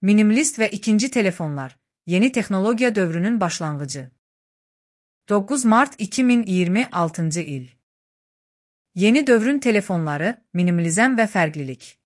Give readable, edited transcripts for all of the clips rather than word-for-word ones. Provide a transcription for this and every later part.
Minimalist ve ikinci telefonlar, yeni teknologiya dövrünün başlangıcı. 9 Mart 2026 il. Yeni dövrün telefonları, minimalizm ve fərqlilik.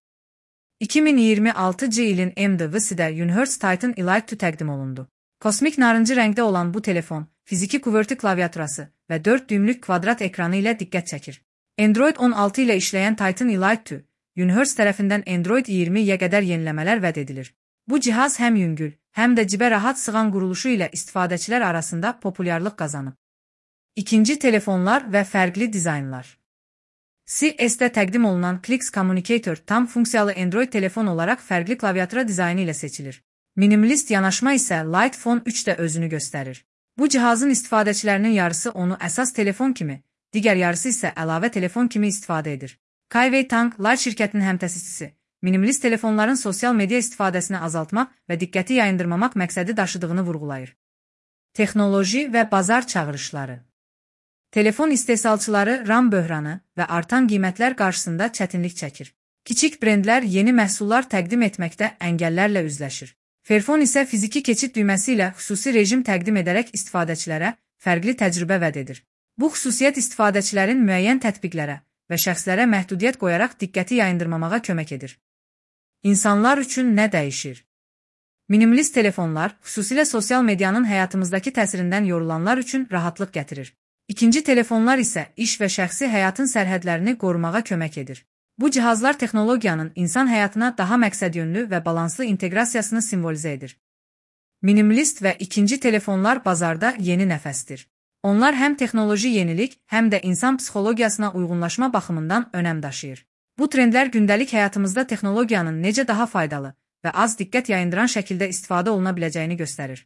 2026 ilin MWC-də Unihertz Titan Elite 2 təqdim olundu. Kosmik narıncı rəngdə olan bu telefon, fiziki QWERTY klaviaturası və 4 düymlük kvadrat ekranı ilə diqqət çəkir. Android 16 ilə işləyən Titan Elite 2, Unihertz tərəfindən Android 20-yə qədər yeniləmələr vəd edilir. Bu cihaz həm yüngül, həm də cibə rahat sığan quruluşu ilə istifadəçilər arasında populyarlıq qazanıb. İkinci telefonlar və fərqli dizaynlar. CES-də təqdim olunan Clix Communicator tam funksiyalı Android telefon olaraq fərqli klaviatura dizaynı ilə seçilir. Minimalist yanaşma isə Lite Phone 3-də özünü göstərir. Bu cihazın istifadəçilərinin yarısı onu əsas telefon kimi, digər yarısı isə əlavə telefon kimi istifadə edir. Kaiwei Tang, Lite şirkətinin həmtəsisçisi, minimalist telefonların sosial media istifadəsini azaltmaq və diqqəti yayındırmamaq məqsədi daşıdığını vurğulayır. Texnoloji və bazar çağırışları. Telefon istehsalçıları RAM böhranı və artan qiymətlər qarşısında çətinlik çəkir. Kiçik brendlər yeni məhsullar təqdim etməkdə əngəllərlə üzləşir. Fairphone isə fiziki keçid düyməsi ilə xüsusi rejim təqdim edərək istifadəçilərə fərqli təcrübə vəd edir. Bu xüsusiyyət istifadəçilərin müəyyən tətbiqlərə və şəxslərə məhdudiyyət qoyaraq diqqəti yayındırmamağa kömək edir. İnsanlar üçün nə dəyişir? Minimalist telefonlar, xüsusilə sosial medianın həyatımızdakı təsirindən yorulanlar üçün rahatlıq gətirir. İkinci telefonlar isə iş və şəxsi həyatın sərhədlərini qorumağa kömək edir. Bu cihazlar texnologiyanın insan həyatına daha məqsədyönlü və balanslı inteqrasiyasını simvolizə edir. Minimalist və ikinci telefonlar bazarda yeni nəfəsdir. Onlar həm texnoloji yenilik, həm də insan psixologiyasına uyğunlaşma baxımından önəm daşıyır. Bu trendlər gündəlik həyatımızda texnologiyanın necə daha faydalı və az diqqət yayındıran şəkildə istifadə oluna biləcəyini göstərir.